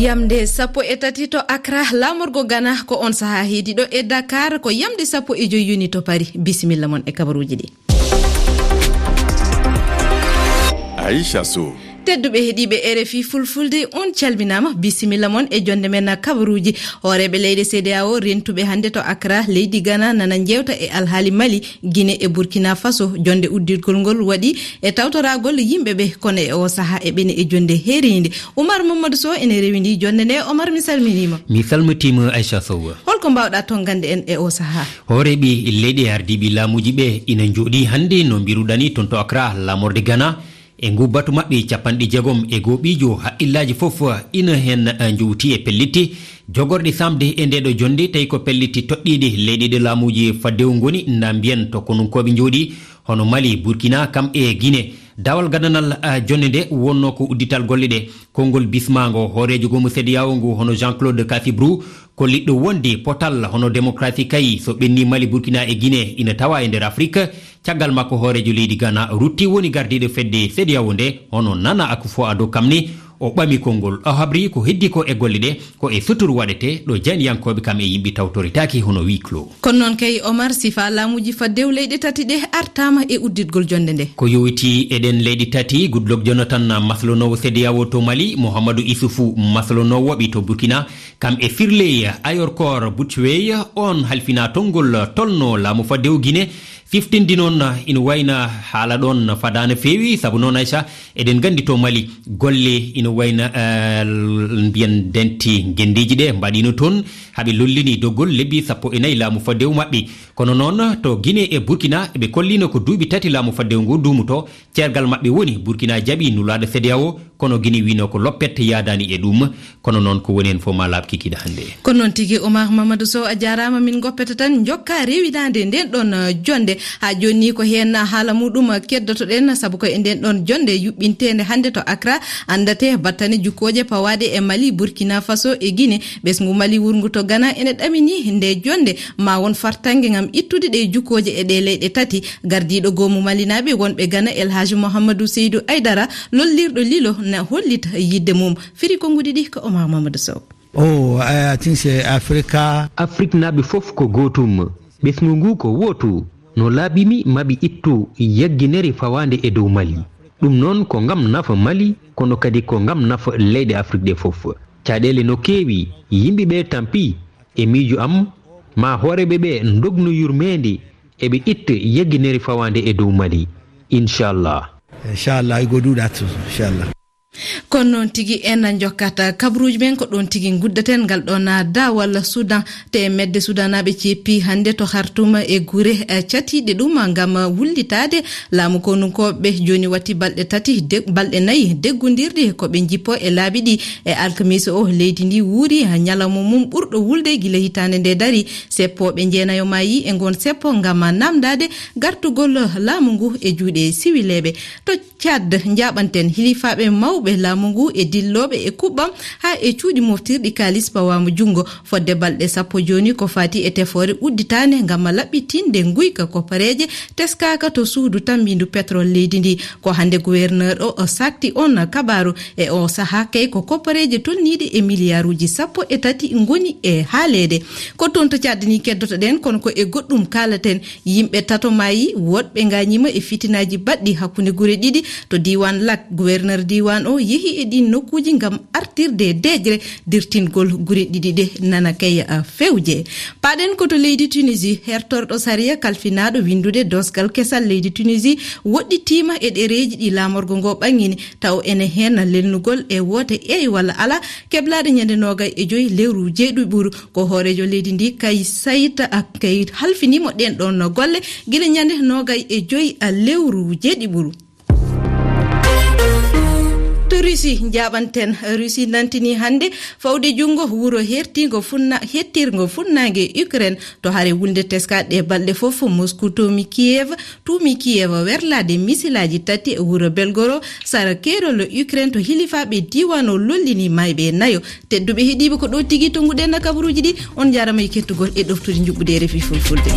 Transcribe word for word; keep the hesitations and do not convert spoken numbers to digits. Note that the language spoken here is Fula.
Yamde sappo e tati to Accra, laamorgo Ghana, ko on sahaa heedi ɗo e Dakar, ko yamde sappo e joy yoni to Paris. Bisimilla mon e kabaruuji ɗi. Aisha Sow. Tedduɓe heɗiiɓe R F I Fulfulde, on calminaama, bisimilla mon e jonde men kabaruuji. Hooreeɓe leyɗe C D A O rentuɓe hannde to Accra, leydi Ghana, nana njeewta e alhaali Mali, Guinée e Burkina Faso. Jonde uddirgol ngol waɗi e tawtoraagol yimɓe ɓe, kono e o sahaa eɓene e jonde heeriinde. Oumar Mamadou Sow ene rewindi jonde nde. Omar, mi salminiima. Mi salmitiima, Aisha Sow. Holko mbaawɗa tonngande en e o sahaa? Hooreeɓe leyɗe ardiiɓe laamuuji ɓe ina njooɗii hannde, no mbiruɗani, toon to Accra, laamorde Ghana. E ngu batu maɓɓe capanɗe jeegom e goo ɓiijo, haqqillaaji fof ina heen, eh, njowti e pellitte jogorɗe saamde e ndeeɗo jonnde, tawi ko pellitte toɗɗiiɗe leyɗe ɗe laamuuji faddewu ngoni, na mbiyen to konunkooɓe njooɗii, hono Mali, Burkina, kam e Guinée. Dawal gadanal, eh, jonnde nde wonnoo ko uddital golle ɗe. Konngol bismaango hooreejo goomu C D A O ngu, hono Jean-Claude Cassibrou, kolliɗo wonde potal hono démocratie kay, so ɓenni Mali, Burkina e Guinée, ina tawa e nder Afrik. Caggal makko, hooreejo leydi Ghana rutti woni gardiiɗo fedde C D A O nde, hono Nana Akufo-Addo kam ne, o ɓami konngol. O habri ko heddi ko e golle ɗe, ko e suturu waɗete, ɗo jayniyankooɓe kam e yimɓe tawtoretaake hono huis clos. Kono noon kay, Omar, sifa laamuuji faddewu leyɗe tati ɗe artaama e udditgol jonnde nde. Ko yowiti e ɗen leyɗe tati, Goodluck Jonathan maslonoowo C D A O to Mali, Mouhamadou Issoufou maslonoowo ɓe to Burkina, kam e Firley Ayorkor Butchwey, on halfina tonngol tolno laamu faddewu Guinée. Siftinde noon ina wayna haala ɗoon fadaani feewi, sabu noon, Aisha, eɗen nganndi to Mali golle ina wayna, eh, mbiyen denti ngenndiiji ɗe mbaɗino toon, haɓe lollini doggol lebbi sappo e nayi laamu faddewu maɓɓe. Kono noon to Guinée e Burkina, ɓe kollino ko duuɓi tati laamu faddewu ngu duumuto. Ceergal maɓɓe woni Burkina jaɓi nulaaɗo C D A O, kono Guinée wino ko loppet, yaadaani e ɗum. Kono noon ko woni heen fof ma laaɓ kikiiɗe hannde. Kono noon tigi, Omar Mamadou Sow, a jaaraama. Min ngoppete tan njokka rewinaande nden ɗon, uh, jonnde. Haa jooni ni ko heen haala muɗum keddotoɗen, sabu ko e nden ɗon jonnde yuɓɓinteende hannde to Accra, anndate battane jukkooje pawaaɗe e Mali, Burkina Faso e Guinée. Ɓesngu Mali wurngu to Ghana ene ɗamini nde jonnde, ma won fartaŋŋe ngam ittude ɗe jukkooje e ɗe leyɗe tati. Gardiiɗo goomu Malinaaɓe wonɓe Ghana, El Hadji Mouhamadou Seydou Aidara, lollirɗo Lilo, na hollita yiɗde mum. Firi konnguɗi ɗi ko Omar Mamadou Sow. Oh, I think say Africa. Afriknaaɓe fof ko gootum. Ɓesngu ngu ko wootu. No laaɓi mi maɓe ittu yagginere fawaande e dow Mali. Ɗum noon ko ngam nafa Mali, kono kadi ko ngam nafa leyɗe Afrik ɗe fof. Caɗeele no keewi, yimɓe ɓe tampi. E miijo am, ma hooreeɓe ɓe ndognu yurmeende, eɓe itta yagginere fawaande e dow Mali. Inchallah. Inchallah, I go do that too, inchallah. Kono noon tigi en njokkata kabaruuji men, ko ɗoon tigi nguddaten ngal ɗoon daawal Sudan. Te medde Sudanaaɓe ceppi hannde to Khartoum e gure, eh, catiiɗe ɗum ngam wullitaade laamu konunkooɓe. Jooni watti balɗe tati, de-, balɗe nayi deggondirɗi ko ɓe njippo e laabi ɗi. E alkamiisa o, leydi ndi wuuri ñalawma mum ɓurɗo wulde gila hitaande nde dari. Seppooɓe jeenayo maayi e ngon seppo ngam namdaade gartugol laamu ngu e juuɗe siwileeɓe. To Tchad, njaaɓanten hilifaaɓe mawɓe laamu ngu e dillooɓe e kuɓɓam haa e cuuɗi moftirɗi kaalis pawaama junngo. Fodde balɗe sappo jooni ko faati e tefoore udditaande ngam laɓɓitinde nguyka koppareeje teskaaka to suudu tammbiindu petrol leydi ndi. Ko hannde gouverneur o, o sakti on kabaaru. E o sahaa kay ko koppareeje tolniiɗe e miliyaaruuji sappo e tati ngoni e haaleede. Ko toon to Tchad ni keddotoɗen, kono ko e goɗɗum kaalaten. Yimɓe tato maayi, woɗɓe ngañiima e fitinaaji baɗɗi hakkunde gure ɗiɗi to diiwaan Lak. Gouverneur diiwaan o yehi e ɗiin nokkuuji ngam artirde deeƴre dirtingol gure ɗiɗi ɗe nana kay, a, fewje. Paaɗen ko to leydi Tunisie, hertorɗo sariya kalfinaaɗo winndude doosgal kesal leydi Tunisie woɗɗitiima e ɗereeji ɗi laamorgo ngo ɓaŋŋini, taw ene heen lelnugol e woote eey walla alaa, keblaaɗe ñande noogay e joy lewru jeeɗiɓuru. Ko hooreejo leydi ndi, Kais Saied, a, kay halfinii mo ɗeen ɗoon golle gila ñande noogay e joy, a, lewru jeeɗiɓuru. To Russie, njaaɓanten. Russie nantini hannde fawde junngo wuro hertiingo funna-, hettirngo funnaange Ukraine. To hare wulnde teskaaɗe balɗe fof, Moscou tuumi Kiev, tuumi Kiev werlaade misilaaji tati wuro Belgorod, sara keerol Ukraine, to hilifaaɓe diiwaan o lollini maayɓe nayo. Tedduɓe heɗiiɓe, ko ɗo tigi tonnguɗen kabaruuji ɗi. On njaaraama e kettugol e ɗoftude njuɓɓudi R F I Fulfulde.